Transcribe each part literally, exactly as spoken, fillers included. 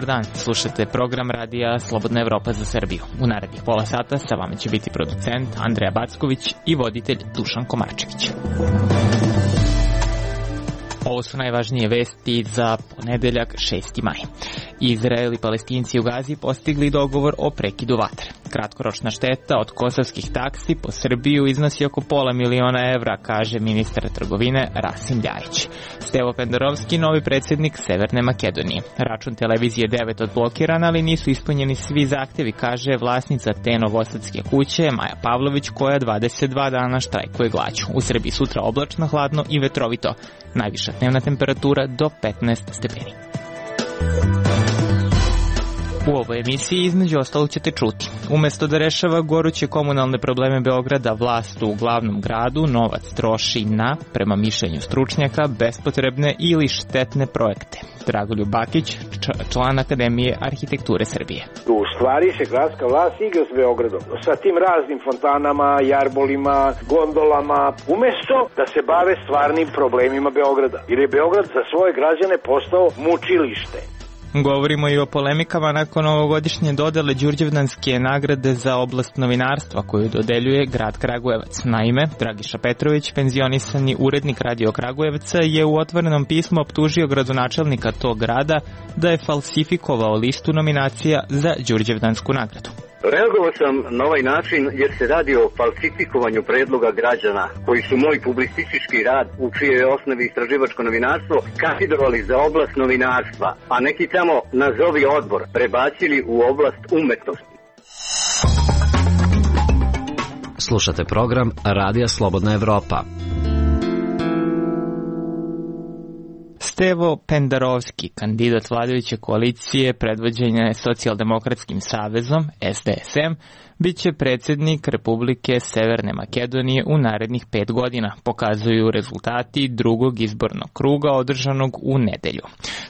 Dobar dan, slušate program radija Slobodna Evropa za Srbiju. U narednih pola sata sa vama će biti producent Andreja Backović i voditelj Dušan Komarčević. Ovo su najvažnije vesti za ponedeljak šesti maj. Izrael i Palestinci u Gazi postigli dogovor o prekidu vatre. Kratkoročna šteta od kosovskih taksi po Srbiju iznosi oko pola miliona evra, kaže ministar trgovine Rasim Ljajić. Stevo Pendarovski, novi predsjednik Severne Makedonije. Račun televizije devet odblokiran, ali nisu ispunjeni svi zahtjevi, kaže vlasnica te novosadske kuće Maja Pavlović, koja dvadeset dva dana štrajkuje glađu. U Srbiji sutra oblačno, hladno i vetrovito. Najviša dnevna temperatura do petnaest stepeni. U ovoj emisiji između ostalog ćete čuti. Umesto da rešava goruće komunalne probleme Beograda, vlast u glavnom gradu novac troši na, prema mišljenju stručnjaka, bespotrebne ili štetne projekte. Dragoljub Bakić, član Akademije arhitekture Srbije. U stvari se gradska vlast igra s Beogradom, sa tim raznim fontanama, jarbolima, gondolama, umesto da se bave stvarnim problemima Beograda. Jer je Beograd za svoje građane postao mučilište. Govorimo i o polemikama nakon ovogodišnje dodele Đurđevdanske nagrade za oblast novinarstva koju dodeljuje grad Kragujevac. Naime, Dragiša Petrović, penzionisani urednik Radio Kragujevca, je u otvorenom pismu optužio gradonačelnika tog grada da je falsifikovao listu nominacija za Đurđevdansku nagradu. Reagovao sam na ovaj način jer se radi o falsifikovanju predloga građana koji su moj publicistički rad, u čijoj osnovi istraživačko novinarstvo, kandidovali za oblast novinarstva, a neki tamo nazovi odbor prebacili u oblast umetnosti. Slušate program Radija Slobodna Evropa. Stevo Pendarovski, kandidat vladajuće koalicije predvođene Socijaldemokratskim savezom, S D S M, bit će predsjednik Republike Severne Makedonije u narednih pet godina, pokazuju rezultati drugog izbornog kruga održanog u nedelju.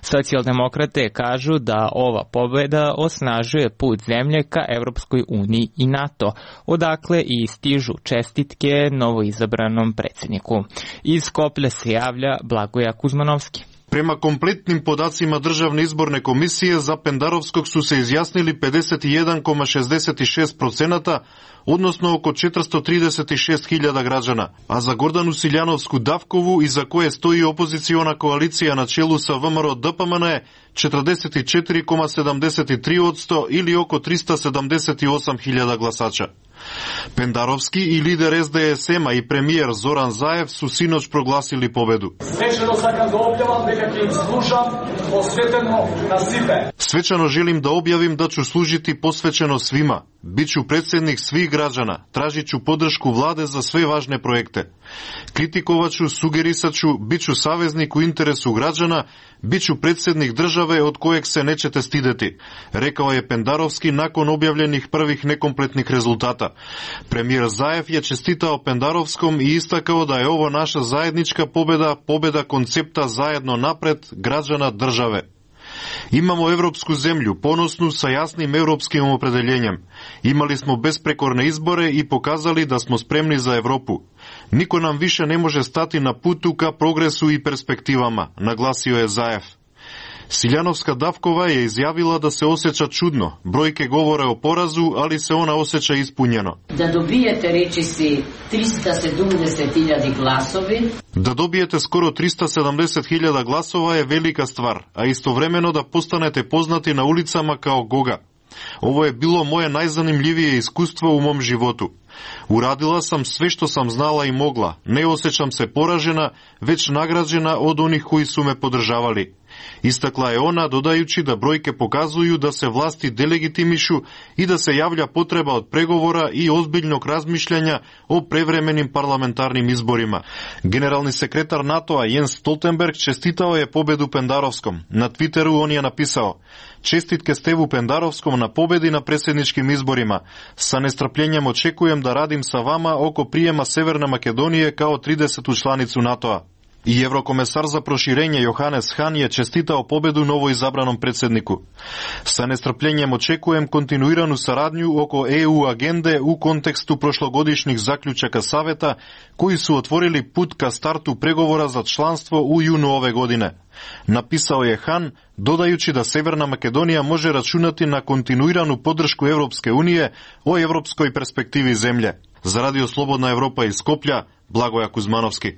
Socijaldemokrate kažu da ova pobjeda osnažuje put zemlje ka Evropskoj uniji i NATO, odakle i stižu čestitke novoizabranom predsjedniku. Iz Skoplja se javlja Blagoja Kuzmanovski. Prema kompletnim podacima Državne izborne komisije, za Pendarovskog su se izjasnili pedeset jedan zarez šezdeset šest procenata, odnosno oko četiristo trideset šest hiljada građana, a za Gordanu Siljanovsku Davkovu, iza koje stoji opoziciona koalicija na čelu sa V M R O D P M N, četrdeset četiri zarez sedamdeset tri posto ili oko tristo sedamdeset osam hiljada glasača. Pendarovski i lider S D S M-a i premijer Zoran Zaev su sinoć proglasili pobedu. Svečano sakam da objavim nekakvim služam posveteno na sibe. Svečano želim da objavim da ću služiti posvećeno svima. Biću predsjednik svih građana, tražit ću podršku vlade za sve važne projekte. Kritikovat ću, sugerisat ću, bit ću saveznik u interesu građana, bit ću predsjednik države od kojeg se nećete stideti, rekao je Pendarovski nakon objavljenih prvih nekompletnih rezultata. Premijer Zaev je čestitao Pendarovskom i istakao da je ovo naša zajednička pobjeda, pobjeda koncepta zajedno napred građana države. Imamo evropsku zemlju, ponosnu sa jasnim evropskim opredeljenjem. Imali smo besprekorne izbore i pokazali da smo spremni za Evropu. Niko nam više ne može stati na putu ka progresu i perspektivama, naglasio je Zaev. Siljanovska Davkova je izjavila da se osjeća čudno. Brojke govore o porazu, ali se ona osjeća ispunjeno. Da dobijete, reči si, tristo sedamdeset hiljada glasovi. Da dobijete skoro tristo sedamdeset hiljada glasova je velika stvar, a istovremeno da postanete poznati na ulicama kao Goga. Ovo je bilo moje najzanimljivije iskustvo u mom životu. Uradila sam sve što sam znala i mogla. Ne osjećam se poražena, već nagrađena od onih koji su me podržavali. Istakla je ona, dodajući da brojke pokazuju da se vlasti delegitimišu i da se javlja potreba od pregovora i ozbiljnog razmišljanja o prevremenim parlamentarnim izborima. Generalni sekretar NATO-a Jens Stoltenberg čestitao je pobedu Pendarovskom. Na Twitteru on je napisao: čestitke Stevu Pendarovskom na pobedi na predsjedničkim izborima. Sa nestrpljenjem očekujem da radim sa vama oko prijema Severne Makedonije kao tridesetu članicu NATO-a. I evrokomesar za proširenje Johannes Hahn je čestitao pobedu novoizabranom predsedniku. Sa nestrpljenjem očekujem kontinuiranu saradnju oko E U agende u kontekstu prošlogodišnjih zaključaka Saveta koji su otvorili put ka startu pregovora za članstvo u junu ove godine. Napisao je Hahn, dodajući da Severna Makedonija može računati na kontinuiranu podršku Evropske unije o evropskoj perspektivi zemlje. Za Radio Slobodna Evropa iz Skoplja, Blagoja Kuzmanovski.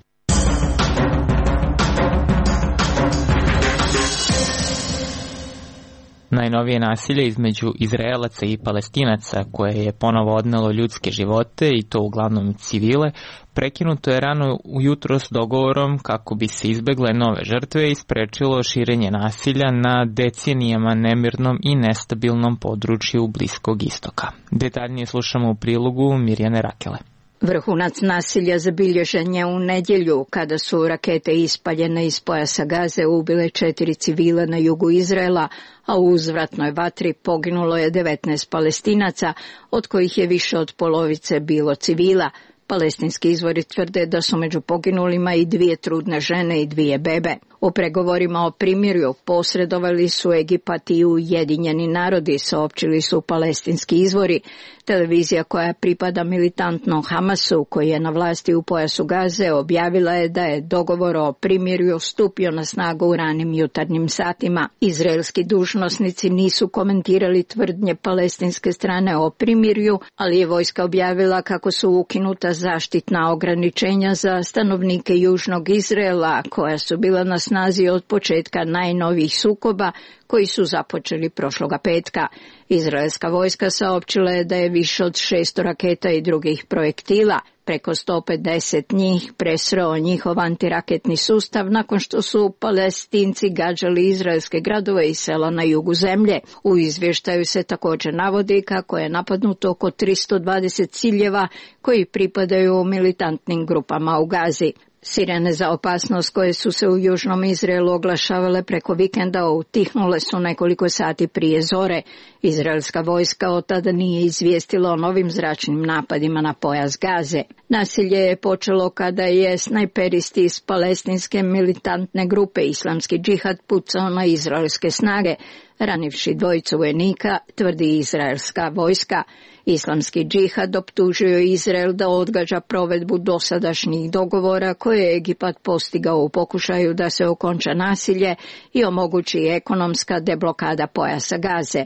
Najnovije nasilje između Izraelaca i Palestinaca, koje je ponovo odnelo ljudske živote, i to uglavnom civile, prekinuto je rano ujutro s dogovorom kako bi se izbegle nove žrtve i sprečilo širenje nasilja na decenijama nemirnom i nestabilnom području Bliskog istoka. Detaljnije slušamo u prilogu Mirjane Rakele. Vrhunac nasilja zabilježen je u nedjelju kada su rakete ispaljene iz pojasa Gaze ubile četiri civila na jugu Izraela, a u uzvratnoj vatri poginulo je devetnaest Palestinaca, od kojih je više od polovice bilo civila. Palestinski izvori tvrde da su među poginulima i dvije trudne žene i dvije bebe. U pregovorima o primirju posredovali su Egipat i Ujedinjeni narodi, saopćili su palestinski izvori. Televizija koja pripada militantnom Hamasu, koji je na vlasti u pojasu Gaze, objavila je da je dogovor o primirju stupio na snagu u ranim jutarnjim satima. Izraelski dužnosnici nisu komentirali tvrdnje palestinske strane o primirju, ali je vojska objavila kako su ukinuta zaštitna ograničenja za stanovnike južnog Izraela, koja su bila na snazi od početka najnovijih sukoba koji su započeli prošloga petka. Izraelska vojska saopćila je da je više od šesto raketa i drugih projektila, preko sto pedeset njih, presreo njihov antiraketni sustav nakon što su Palestinci gađali izraelske gradove i sela na jugu zemlje. U izvještaju se također navodi kako je napadnuto oko tristo dvadeset ciljeva koji pripadaju militantnim grupama u Gazi. Sirene za opasnost koje su se u južnom Izraelu oglašavale preko vikenda utihnule su nekoliko sati prije zore. Izraelska vojska od tada nije izvijestila o novim zračnim napadima na pojas Gaze. Nasilje je počelo kada je snajperisti iz palestinske militantne grupe Islamski džihad pucao na izraelske snage, ranivši dvojicu vojnika, tvrdi izraelska vojska. Islamski džihad optužio Izrael da odgađa provedbu dosadašnjih dogovora koje je Egipat postigao u pokušaju da se okonča nasilje i omogući ekonomska deblokada pojasa Gaze.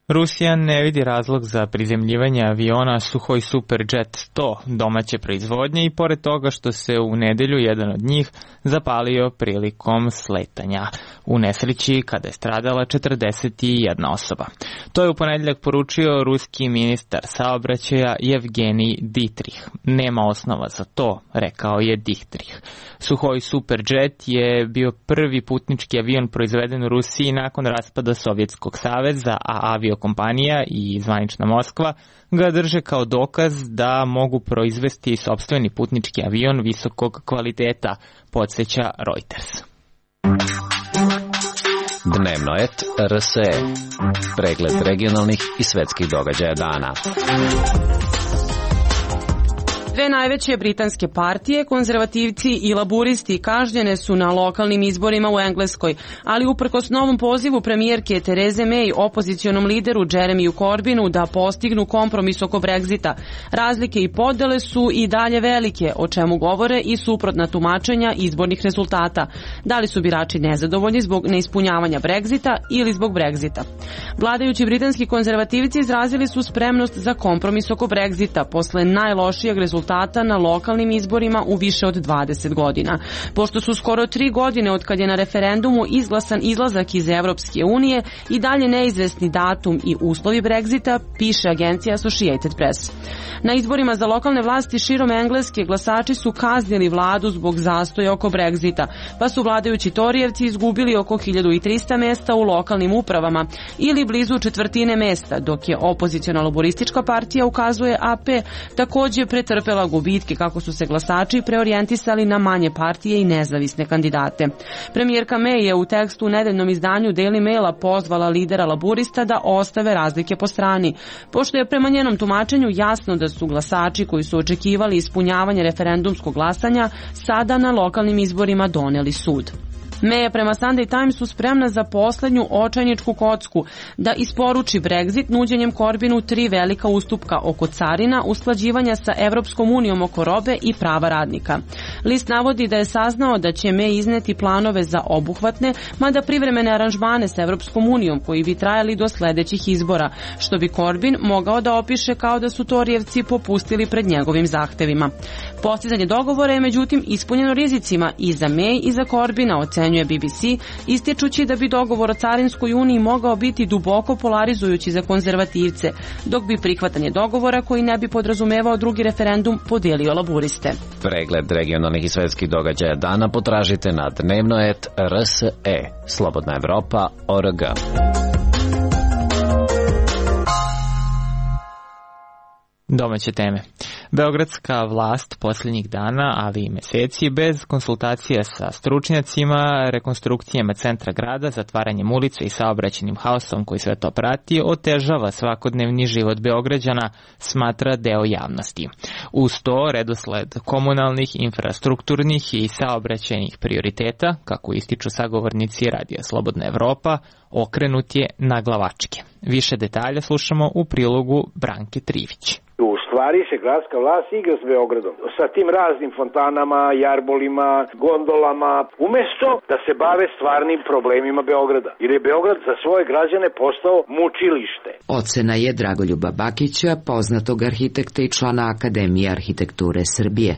Rusija ne vidi razlog za prizemljivanje aviona Suhoj Superjet sto domaće proizvodnje i pored toga što se u nedelju jedan od njih zapalio prilikom sletanja u nesreći kada je stradala četrdeset jedna osoba. To je u ponedjeljak poručio ruski ministar saobraćaja Evgenij Ditrih. Nema osnova za to, rekao je Ditrih. Suhoj Superjet je bio prvi putnički avion proizveden u Rusiji nakon raspada Sovjetskog saveza, a aviokompanija i zvanična Moskva ga drže kao dokaz da mogu proizvesti sopstveni putnički avion visokog kvaliteta, podsjeća Reuters. Dnevno et R S E. Pregled regionalnih i svetskih događaja dana. Dve najveće britanske partije, konzervativci i laburisti, kažnjene su na lokalnim izborima u Engleskoj, ali uprkos novom pozivu premijerke Therese May opozicionom lideru Jeremiju Corbynu da postignu kompromis oko Brexita, razlike i podele su i dalje velike, o čemu govore i suprotna tumačenja izbornih rezultata. Da li su birači nezadovoljni zbog neispunjavanja Brexita ili zbog Brexita? Vladajući britanski konzervativci izrazili su spremnost za kompromis oko Brexita posle najlošijeg rezultata na lokalnim izborima u više od dvadeset godina. Pošto su skoro tri godine od kad je na referendumu izglasan izlazak iz Evropske unije i dalje neizvesni datum i uslovi Brexita, piše agencija Associated Press. Na izborima za lokalne vlasti širom Engleske glasači su kaznili vladu zbog zastoja oko Brexita, pa su vladajući Torijevci izgubili oko hiljadu trista mesta u lokalnim upravama ili blizu četvrtine mesta, dok je opoziciona laboristička partija, ukazuje A P, također pretrpela pretrpela gubitke kako su se glasači preorijentisali na manje partije i nezavisne kandidate. Premijerka May je u tekstu u nedeljnom izdanju Daily Maila pozvala lidera laburista da ostave razlike po strani, pošto je prema njenom tumačenju jasno da su glasači koji su očekivali ispunjavanje referendumskog glasanja sada na lokalnim izborima doneli sud. May je prema Sunday Timesu spremna za poslednju očajničku kocku da isporuči Brexit nuđenjem Corbinu tri velika ustupka oko carina, usklađivanja sa Evropskom unijom oko robe i prava radnika. List navodi da je saznao da će May izneti planove za obuhvatne, mada privremene aranžmane sa Evropskom unijom koji bi trajali do sledećih izbora, što bi Corbyn mogao da opiše kao da su Torijevci popustili pred njegovim zahtevima. Postizanje dogovora je međutim ispunjeno rizicima i za May i za Corbyna, ocenjuje B B C, ističući da bi dogovor o carinskoj uniji mogao biti duboko polarizujući za konzervativce, dok bi prihvatanje dogovora koji ne bi podrazumevao drugi referendum podelio laburiste. Pregled regionalnih i svetskih događaja dana potražite na dnevnoet R S E, Slobodna Evropa, O R G. Domaće teme. Beogradska vlast posljednjih dana, ali i meseci, bez konsultacije sa stručnjacima, rekonstrukcijama centra grada, zatvaranjem ulica i saobraćajnim haosom koji sve to prati, otežava svakodnevni život Beograđana, smatra deo javnosti. Uz to, redosled komunalnih, infrastrukturnih i saobraćajnih prioriteta, kako ističu sagovornici Radija Slobodna Evropa, okrenut je na glavačke. Više detalja slušamo u prilogu Branke Trivić. U stvari se gradska vlast igra s Beogradom, sa tim raznim fontanama, jarbolima, gondolama, umesto da se bave stvarnim problemima Beograda. Jer je Beograd za svoje građane postao mučilište. Ocena je Dragoljuba Bakića, poznatog arhitekta i člana Akademije arhitekture Srbije.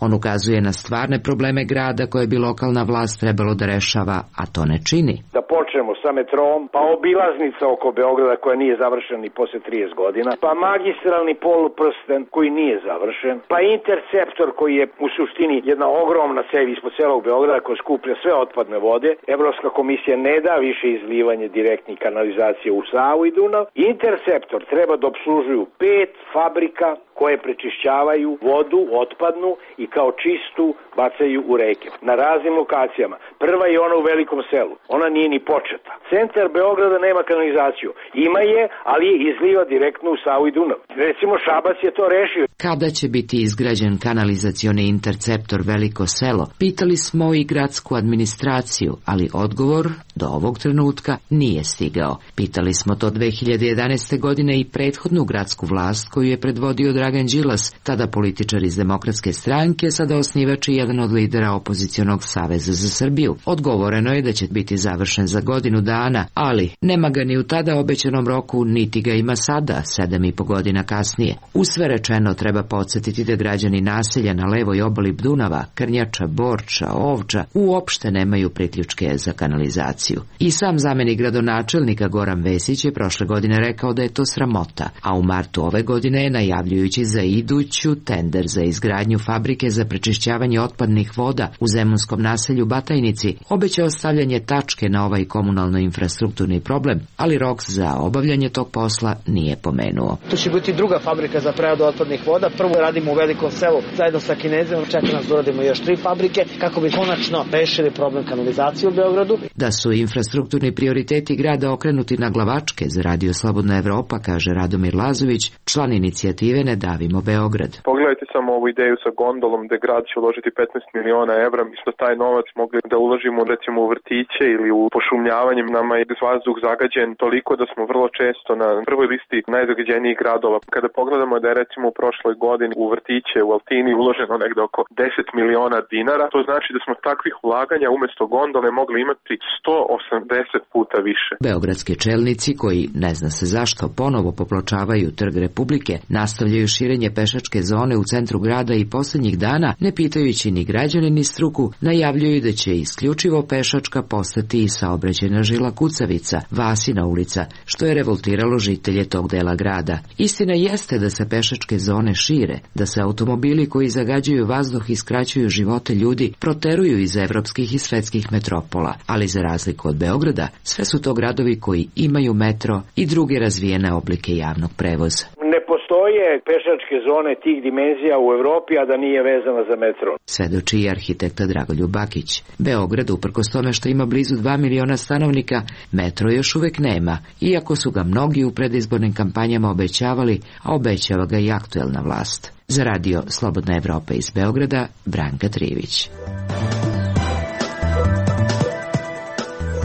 On ukazuje na stvarne probleme grada koje bi lokalna vlast trebalo da rešava, a to ne čini. Da počnemo sa metrom, pa obilaznica oko Beograda koja nije završena ni posle trideset godina, pa magistralni poluprsten koji nije završen, pa interceptor koji je u suštini jedna ogromna cev ispod celog Beograda koja skuplja sve otpadne vode. Evropska komisija ne da više izlivanje direktnih kanalizacije u Savu i Dunav. Interceptor treba da obslužuju pet fabrika koje prečišćavaju vodu otpadnu i kao čistu bacaju u reke na raznim lokacijama. Prva je ona u Velikom selu. Ona nije ni početa. Centar Beograda nema kanalizaciju. Ima je, ali je izliva direktno u Savu i Dunav. Recimo Šabac je to rešio. Kada će biti izgrađen kanalizacioni interceptor Veliko selo? Pitali smo i gradsku administraciju, ali odgovor do ovog trenutka nije stigao. Pitali smo to dve hiljade jedanaeste. godine i prethodnu gradsku vlast koju je predvodio Dragan Đilas, tada političar iz Demokratske stranke, sada osnivač i jedan od lidera opozicionog Saveza za Srbiju. Odgovoreno je da će biti završen za godinu dana, ali nema ga ni u tada obećanom roku, niti ga ima sada, sedam i po godina kasnije. U sve rečeno treba podsjetiti da građani naselja na levoj obali Dunava, Krnjača, Borča, Ovča, uopšte nemaju priključke za kanalizaciju. I sam zamenik gradonačelnika Goran Vesić je prošle godine rekao da je to sramota, a u martu ove godine je najavljujući za iduću tender za izgradnju fabrike za prečišćavanje otpadnih voda u zemunskom naselju Batajnici obećao stavljanje tačke na ovaj komunalno-infrastrukturni problem, ali rok za obavljanje tog posla nije pomenuo. To će biti druga fabrika za preradu otpadnih voda. Prvo radimo u Velikom selu zajedno sa Kinezima, čeka nas da uradimo još tri fabrike kako bi konačno rešili problem kanalizacije u Beogradu. Da su infrastrukturni prioriteti grada okrenuti na glavačke, za Radio Slobodna Evropa, kaže Radomir Lazović, član inicijative Ne davimo Beograd. Pogledajte samo ovu ideju sa gondolom gde grad će uložiti petnaest miliona evra. Mi smo taj novac mogli da uložimo recimo u vrtiće ili u pošumljavanje. Nama je vazduh zagađen toliko da smo vrlo često na prvoj listi najzagađenijih gradova. Kada pogledamo da je recimo u prošloj godini u vrtiće u Altini uloženo negde oko deset miliona dinara, to znači da smo takvih ulaganja umesto gondole mogli imati sto osamdeset puta više. Beogradski čelnici koji, ne zna se zašto, ponovo popločavaju Trg Republike, nastavljaju širenje pešačke zone u centru grada i posljednjih dana, ne pitajući ni građane ni struku, najavljuju da će isključivo pešačka postati i saobraćajna žila kucavica, Vasina ulica, što je revoltiralo žitelje tog dela grada. Istina jeste da se pešačke zone šire, da se automobili koji zagađuju vazduh i skraćuju živote ljudi proteruju iz evropskih i svetskih metropola, ali za razliku od Beograda, sve su to gradovi koji imaju metro i druge razvijene oblike javnog prevoza. Ne postoji postoje pešačke zone tih dimenzija u Evropi, a da nije vezana za metro. Svedoči i arhitekta Dragoljub Bakić. Beograd, uprkos tome što ima blizu dva miliona stanovnika, metro još uvek nema, iako su ga mnogi u predizbornim kampanjama obećavali, a obećava ga i aktuelna vlast. Za radio Slobodna Evropa iz Beograda, Branka Trivić.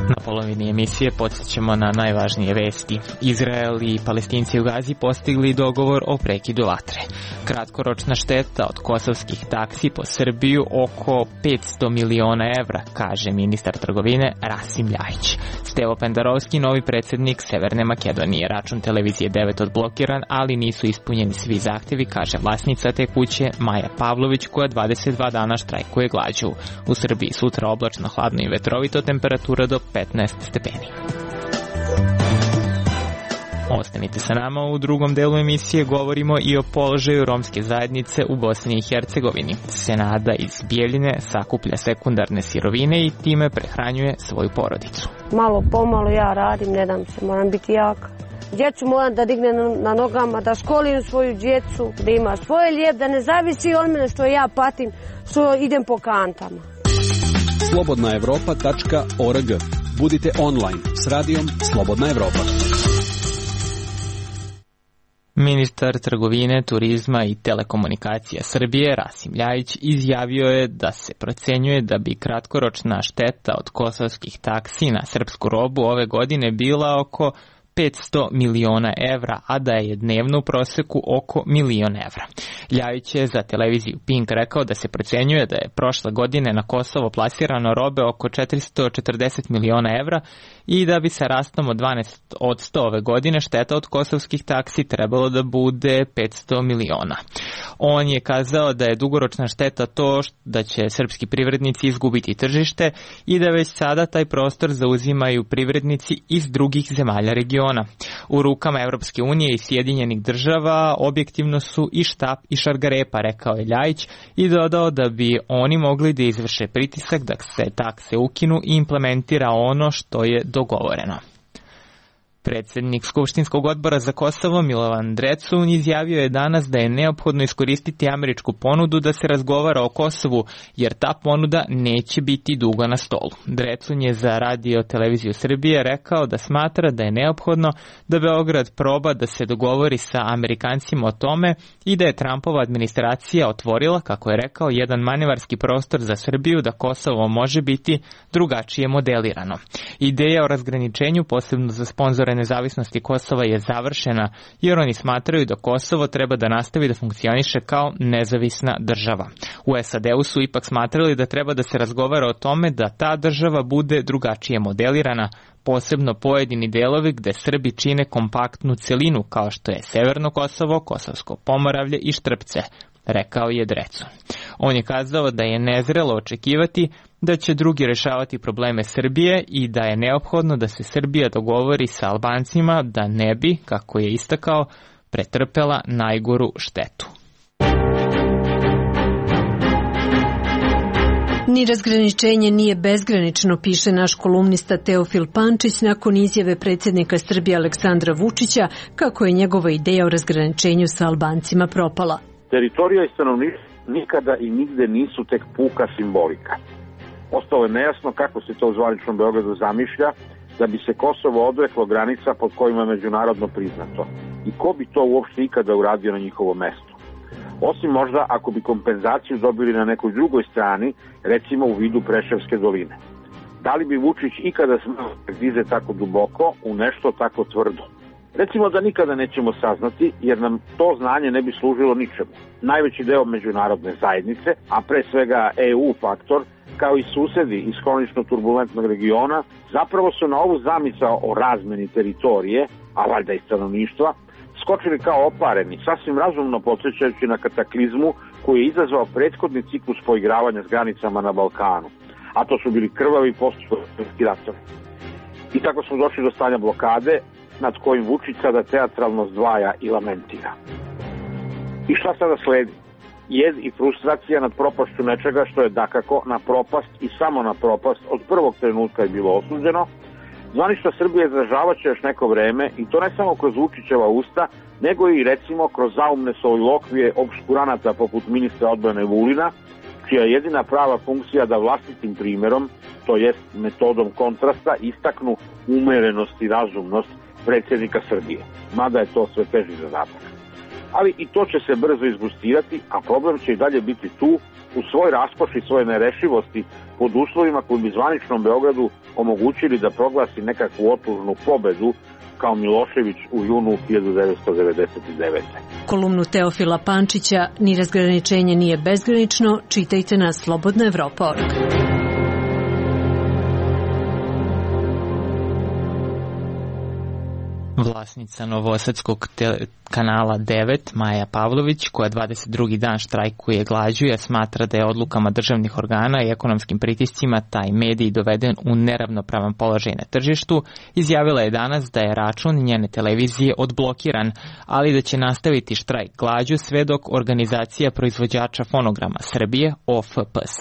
Na polovini emisije podsjećamo na najvažnije vesti. Izrael i Palestinci u Gazi postigli dogovor o prekidu vatre. Kratkoročna šteta od kosovskih taksi po Srbiju oko petsto miliona evra, kaže ministar trgovine Rasim Ljajić. Stevo Pendarovski, novi predsjednik Severne Makedonije. Račun televizije devet odblokiran, ali nisu ispunjeni svi zahtjevi, kaže vlasnica te kuće Maja Pavlović, koja dvadeset dva dana štrajkuje glađu. U Srbiji sutra oblačno, hladno i vetrovito, temperatura do petnaest stepeni. Ostanite sa nama, u drugom delu emisije govorimo i o položaju romske zajednice u Bosni i Hercegovini. Senada iz Bijeljine sakuplja sekundarne sirovine i time prehranjuje svoju porodicu. Malo pomalo ja radim, ne dam se, moram biti jaka. Djecu moram da dignem na nogama, da školim svoju djecu, da ima svoje lijep, da ne zavisi od mene što ja patim, što idem po kantama. slobodna evropa tačka org. Budite online s radijom Slobodna Evropa. Ministar trgovine, turizma i telekomunikacija Srbije Rasim Ljajić izjavio je da se procenjuje da bi kratkoročna šteta od kosovskih taksi na srpsku robu ove godine bila oko petsto miliona evra, a da je dnevno u proseku oko milion evra. Ljajić je za televiziju Pink rekao da se procenjuje da je prošle godine na Kosovo plasirano robe oko četiristo četrdeset miliona evra i da bi sa rastom od dvanaest posto ove godine šteta od kosovskih taksi trebalo da bude petsto miliona. On je kazao da je dugoročna šteta to da će srpski privrednici izgubiti tržište i da već sada taj prostor zauzimaju privrednici iz drugih zemalja regiona. U rukama Evropske unije i Sjedinjenih država objektivno su i štap i šargarepa, rekao je Ljajić i dodao da bi oni mogli da izvrše pritisak da se takse ukinu i implementira ono što je dogovoreno. Predsjednik Skupštinskog odbora za Kosovo Milovan Drecun izjavio je danas da je neophodno iskoristiti američku ponudu da se razgovara o Kosovu, jer ta ponuda neće biti dugo na stolu. Drecun je za radio televiziju Srbije rekao da smatra da je neophodno da Beograd proba da se dogovori sa Amerikancima o tome i da je Trumpova administracija otvorila, kako je rekao, jedan manevarski prostor za Srbiju da Kosovo može biti drugačije modelirano. Ideja o razgraničenju, posebno za sponzore nezavisnosti Kosova, je završena, jer oni smatraju da Kosovo treba da nastavi da funkcioniše kao nezavisna država. U S A D-u su ipak smatrali da treba da se razgovara o tome da ta država bude drugačije modelirana, posebno pojedini delovi gde Srbi čine kompaktnu celinu, kao što je Severno Kosovo, Kosovsko Pomoravlje i Štrpce, rekao je Drecun. On je kazao da je nezrelo očekivati da će drugi rešavati probleme Srbije i da je neophodno da se Srbija dogovori sa Albancima da ne bi, kako je istakao, pretrpela najgoru štetu. Ni razgraničenje nije bezgranično, piše naš kolumnista Teofil Pančić nakon izjave predsjednika Srbije Aleksandra Vučića kako je njegova ideja o razgraničenju sa Albancima propala. Teritorija i stanovništvo nikada i nigde nisu tek puka simbolika. Ostalo je nejasno kako se to u zvaničnom Beogradu zamišlja da bi se Kosovo odreklo granica pod kojima je međunarodno priznato. I ko bi to uopšte ikada uradio na njihovo mesto? Osim možda ako bi kompenzaciju dobili na nekoj drugoj strani, recimo u vidu Preševske doline. Da li bi Vučić ikada smeo da dize tako duboko u nešto tako tvrdo? Recimo da nikada nećemo saznati, jer nam to znanje ne bi služilo ničemu. Najveći deo međunarodne zajednice, a pre svega E U faktor, kao i susedi iz hronično turbulentnog regiona, zapravo su na ovu zamisao o razmeni teritorije, a valjda i stanovništva, skočili kao opareni, sasvim razumno podsjećajući na kataklizmu koji je izazvao prethodni ciklus poigravanja s granicama na Balkanu, a to su bili krvavi postupni ratovi. I tako smo došli do stanja blokade, nad kojim Vučić sada teatralno zdvaja i lamentira. I šta sada sledi? Jed i frustracija nad propašću nečega što je dakako na propast i samo na propast od prvog trenutka je bilo osuđeno, Zvanična Srbija izražavaće još neko vreme i to ne samo kroz Vučićeva usta, nego i recimo kroz zaumne solilokvije obskuranata poput ministra odbrane Vulina, čija je jedina prava funkcija da vlastitim primjerom, to jest metodom kontrasta, istaknu umerenost i razumnost predsjednika Srbije. Mada je to sve teži zadatak. Ali i to će se brzo izgustirati, a problem će i dalje biti tu, u svoj raskoši, svoje nerešivosti, pod uslovima koji bi zvaničnom Beogradu omogućili da proglasi nekakvu otužnu pobedu kao Milošević u junu hiljadu devetsto devedeset devete. Kolumnu Teofila Pančića Ni razgraničenje nije bezgranično čitajte na slobodna evropa tačka org. Vlasnica novosadskog te- kanala devet, Maja Pavlović, koja dvadeset drugi dan štrajkuje glađu, jer smatra da je odlukama državnih organa i ekonomskim pritiscima taj medij doveden u neravnopravan položaj na tržištu, izjavila je danas da je račun njene televizije odblokiran, ali da će nastaviti štrajk glađu sve dok organizacija proizvođača fonograma Srbije, O F P S,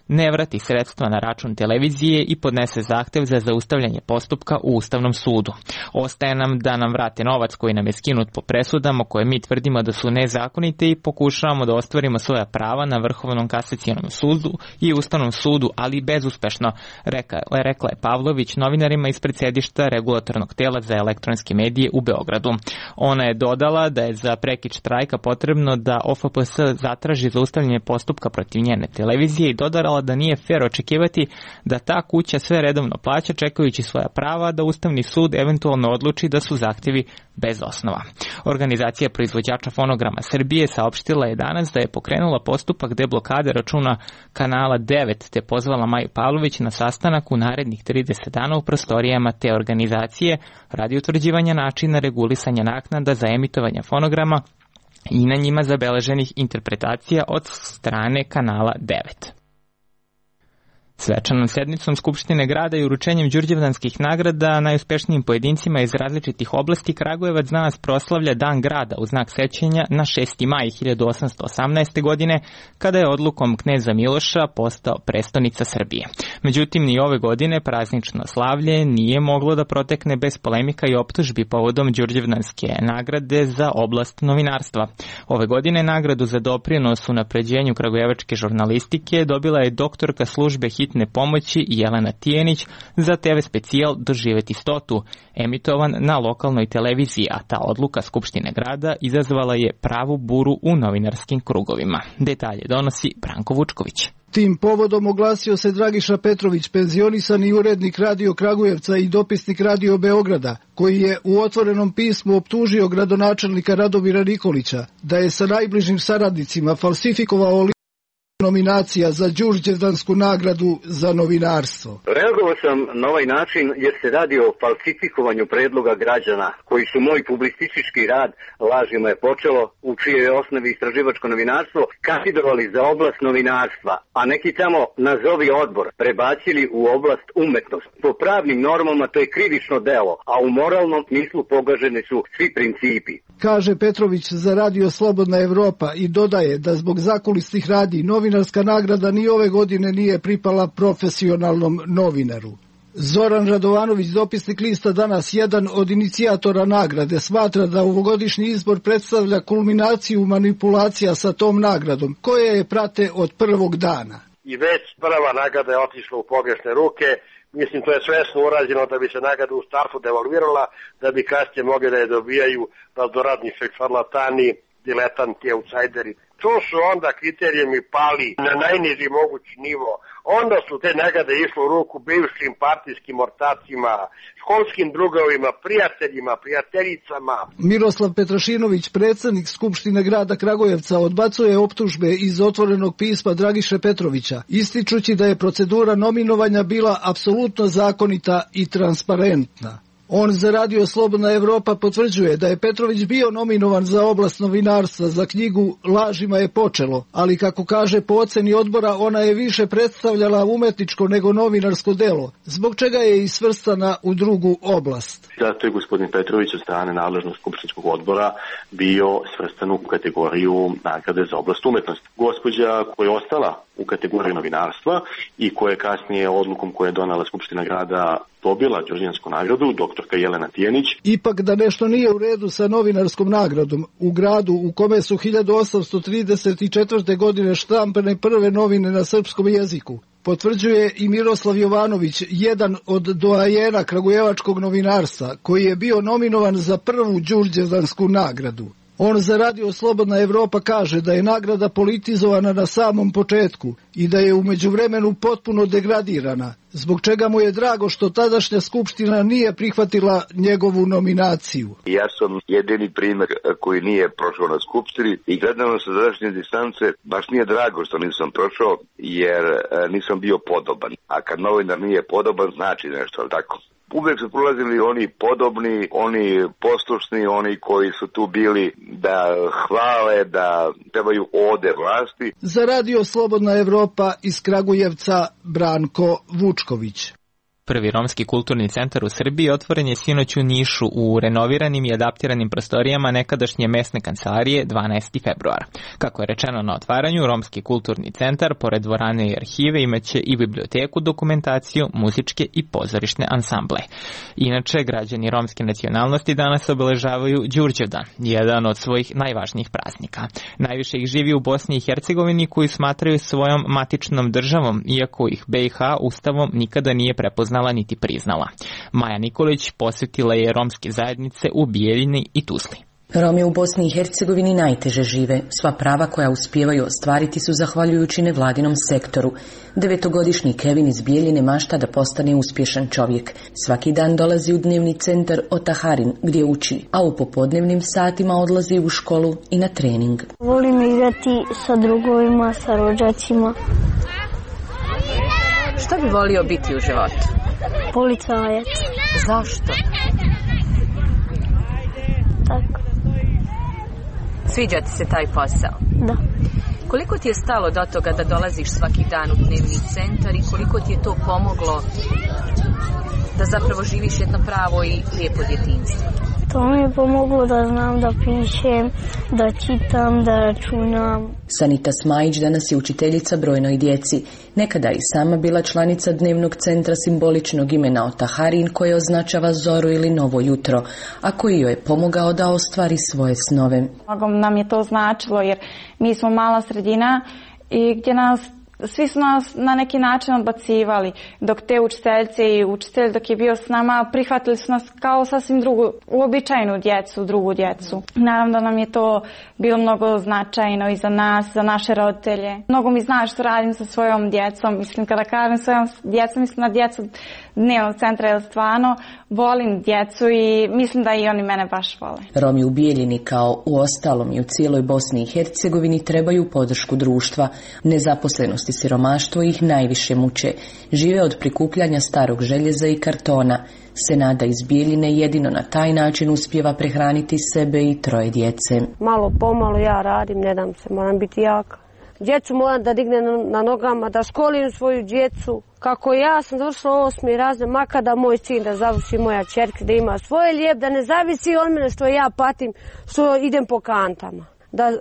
ne vrati sredstva na račun televizije i podnese zahtev za zaustavljanje postupka u Ustavnom sudu. Ostaje nam da nam vrate novac koji nam je skinut po presudama koje mi tvrdimo da su nezakonite i pokušavamo da ostvarimo svoja prava na Vrhovnom kasacionom sudu i Ustavnom sudu, ali bezuspešno, rekla, rekla je Pavlović novinarima ispred sedišta regulatornog tela za elektronske medije u Beogradu. Ona je dodala da je za prekid štrajka potrebno da O F P S zatraži zaustavljanje postupka protiv njene televizije i dodala da nije fer očekivati da ta kuća sve redovno plaća čekajući svoja prava, da Ustavni sud eventualno odluči da su zahtjevi bez osnova. Organizacija proizvođača fonograma Srbije saopštila je danas da je pokrenula postupak deblokade računa kanala devet te pozvala Maju Pavlović na sastanak u narednih trideset dana u prostorijama te organizacije radi utvrđivanja načina regulisanja naknada za emitovanje fonograma i na njima zabeleženih interpretacija od strane kanala devet. Svečanom sednicom Skupštine grada i uručenjem đurđevdanskih nagrada najuspešnijim pojedincima iz različitih oblasti Kragujevac danas proslavlja Dan grada u znak sećanja na šesti maj hiljadu osamsto osamnaeste. godine, kada je odlukom kneza Miloša postao prestonica Srbije. Međutim, ni ove godine praznično slavlje nije moglo da protekne bez polemika i optužbi povodom đurđevdanske nagrade za oblast novinarstva. Ove godine nagradu za doprinos unapređenju kragujevačke žurnalistike dobila je doktorka službe hitne pomoći Jelena Tijenić za te ve specijal Doživeti stotu, emitovan na lokalnoj televiziji, a ta odluka Skupštine grada izazvala je pravu buru u novinarskim krugovima. Detalje donosi Branko Vučković. Tim povodom oglasio se Dragiša Petrović, penzionisani urednik Radio Kragujevca i dopisnik Radio Beograda, koji je u otvorenom pismu optužio gradonačelnika Radomira Nikolića da je sa najbližim saradnicima falsifikovao nominacija za đurđevdansku nagradu za novinarstvo. Reagovao sam na ovaj način jer se radi o falsifikovanju predloga građana koji su moj publicistički rad Lažima je počelo, u čijoj je osnovi istraživačko novinarstvo, kandidovali za oblast novinarstva, a neki tamo nazovi odbor prebacili u oblast umetnost. Po pravnim normama to je krivično delo, a u moralnom smislu pogaženi su svi principi. Kaže Petrović za Radio Slobodna Evropa i dodaje da zbog zakulisnih radnji novinarska nagrada ni ove godine nije pripala profesionalnom novinaru. Zoran Radovanović, dopisnik lista Danas, jedan od inicijatora nagrade, smatra da ovogodišnji izbor predstavlja kulminaciju manipulacija sa tom nagradom, koje je prate od prvog dana. I već prva nagrada je otišla u pogrešne ruke. Mislim, to je svesno urađeno da bi se nagrada u startu devalvirala, da bi kasnije mogli da je dobijaju raznorazni šarlatani, diletanti, outsideri. To su onda kriterijumi pali na najniži mogući nivo. Onda su te nagrade išle u ruku bivšim partijskim ortacima, školskim drugovima, prijateljima, prijateljicama. Miroslav Petrašinović, predsjednik Skupštine grada Kragujevca, odbacuje optužbe iz otvorenog pisma Dragiše Petrovića, ističući da je procedura nominovanja bila apsolutno zakonita i transparentna. On za Radio Slobodna Evropa potvrđuje da je Petrović bio nominovan za oblast novinarstva za knjigu Lažima je počelo, ali kako kaže po oceni odbora ona je više predstavljala umetničko nego novinarsko delo, zbog čega je i svrstana u drugu oblast. Zato je gospodin Petrović od strane nadležnog skupštinskog odbora bio svrstan u kategoriju nagrade za oblast umetnosti. Gospođa koja je ostala u kategoriji novinarstva i koja je kasnije odlukom koje je donala Skupština grada dobila Đurđevansku nagradu, doktorka Jelena Tijanić. Ipak da nešto nije u redu sa novinarskom nagradom, u gradu u kome su hiljadu osamsto trideset četvrte. godine štampane prve novine na srpskom jeziku, potvrđuje i Miroslav Jovanović, jedan od doajena kragujevačkog novinarstva, koji je bio nominovan za prvu Đurđevansku nagradu. On za Radio Slobodna Evropa kaže da je nagrada politizovana na samom početku i da je u međuvremenu potpuno degradirana, zbog čega mu je drago što tadašnja skupština nije prihvatila njegovu nominaciju. Ja sam jedini primjer koji nije prošao na skupštini i gledano sa današnje distance baš nije drago što nisam prošao jer nisam bio podoban. A kad novinar nije podoban znači nešto, ali tako? Uvijek su prolazili oni podobni, oni poslušni, oni koji su tu bili da hvale, da trebaju ode vlasti. Za Radio Slobodna Evropa iz Kragujevca Branko Vučković. Prvi romski kulturni centar u Srbiji otvoren je sinoć u Nišu u renoviranim i adaptiranim prostorijama nekadašnje mesne kancelarije dvanaestog februara. Kako je rečeno na otvaranju, romski kulturni centar, pored dvorane i arhive, imaće i biblioteku, dokumentaciju, muzičke i pozorišne ansamble. Inače, građani romske nacionalnosti danas obeležavaju Đurđevdan, jedan od svojih najvažnijih praznika. Najviše ih živi u Bosni i Hercegovini, koju smatraju svojom matičnom državom, iako ih B i H ustavom nikada nije prepoznala niti priznala. Maja Nikolić posjetila je romske zajednice u Bijeljini i Tuzli. Romi u Bosni i Hercegovini najteže žive. Sva prava koja uspijevaju ostvariti su zahvaljujući nevladinom sektoru. Devetogodišnji Kevin iz Bijeljine mašta da postane uspješan čovjek. Svaki dan dolazi u dnevni centar Otaharin gdje uči, a u popodnevnim satima odlazi u školu i na trening. Volim igrati sa drugovima, sa rođacima. Šta bi volio biti u životu? Policajac. Zašto? Tako. Sviđa ti se taj posao? Da. Koliko ti je stalo do toga da dolaziš svaki dan u dnevni centar i koliko ti je to pomoglo da zapravo živiš jedno pravo i lijepo djetinjstvo? To mi je pomoglo da znam da pišem, da čitam, da računam. Sanita Smajić danas je učiteljica brojnoj djeci. Nekada i sama bila članica dnevnog centra simboličnog imena Otaharin koje označava zoru ili novo jutro, a koji joj je pomogao da ostvari svoje snove. Mnogo nam je to značilo jer mi smo mala sredina i gdje nas svi su nas na neki način odbacivali, dok te učiteljice i učitelj dok je bio s nama prihvatili su nas kao sasvim drugu, uobičajenu djecu, drugu djecu. Naravno da nam je to bilo mnogo značajno i za nas, za naše roditelje. Mnogo mi zna što radim sa svojom djecom, mislim kada kažem svojom djecom, mislim na djecu dnevnog centra, jer stvarno volim djecu i mislim da i oni mene baš vole. Romi u Bijeljini kao u ostalom i u cijeloj Bosni i Hercegovini trebaju podršku društva. Nezaposlenost i siromaštvo ih najviše muče. Žive od prikupljanja starog željeza i kartona. Senada iz Bijeljine jedino na taj način uspijeva prehraniti sebe i troje djece. Malo pomalo ja radim, ne dam se, moram biti jaka. Djecu moram da dignem na nogama, da školim svoju djecu. Kako ja sam završila osmi razred, makar da moj sin da završi, moja čerka da ima svoje lijep, da ne zavisi od mene što ja patim, što idem po kantama. Da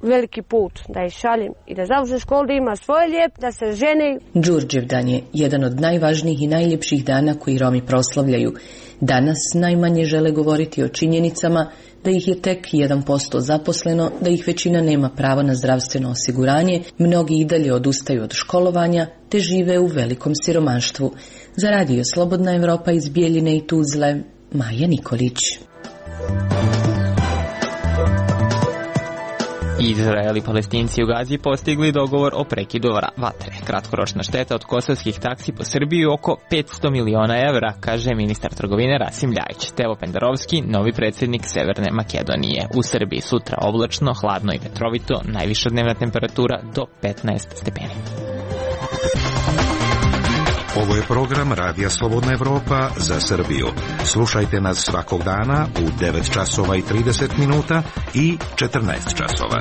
veliki put, da ih šaljem i da završi školu, da ima svoje lijep, da se žene. Đurđevdan je jedan od najvažnijih i najljepših dana koji Romi proslavljaju. Danas najmanje žele govoriti o činjenicama da ih je tek jedan posto zaposleno, da ih većina nema pravo na zdravstveno osiguranje, mnogi i dalje odustaju od školovanja, te žive u velikom siromaštvu. Za Radio Slobodna Evropa iz Bijeljine i Tuzle, Maja Nikolić. Izrael i Palestinci u Gazi postigli dogovor o prekidu vatre. Kratkoročna šteta od kosovskih taksi po Srbiji oko petsto miliona evra, kaže ministar trgovine Rasim Ljajić. Tevo Pendarovski, novi predsjednik Severne Makedonije. U Srbiji sutra oblačno, hladno i vetrovito, najviša dnevna temperatura do petnaest stepeni. Ovo je program Radija Slobodna Evropa za Srbiju. Slušajte nas svakog dana u devet časova i trideset minuta i četrnaest časova.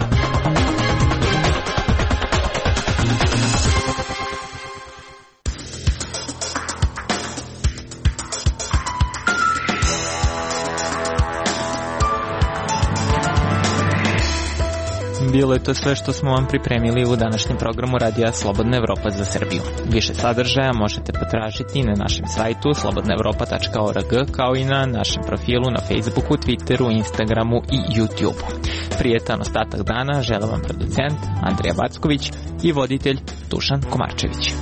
Bilo je to sve što smo vam pripremili u današnjem programu Radija Slobodna Evropa za Srbiju. Više sadržaja možete potražiti na našem sajtu slobodna evropa tačka org, kao i na našem profilu na Facebooku, Twitteru, Instagramu i YouTubeu. Prijetan ostatak dana žele vam producent Andrija Backović i voditelj Dušan Komarčević.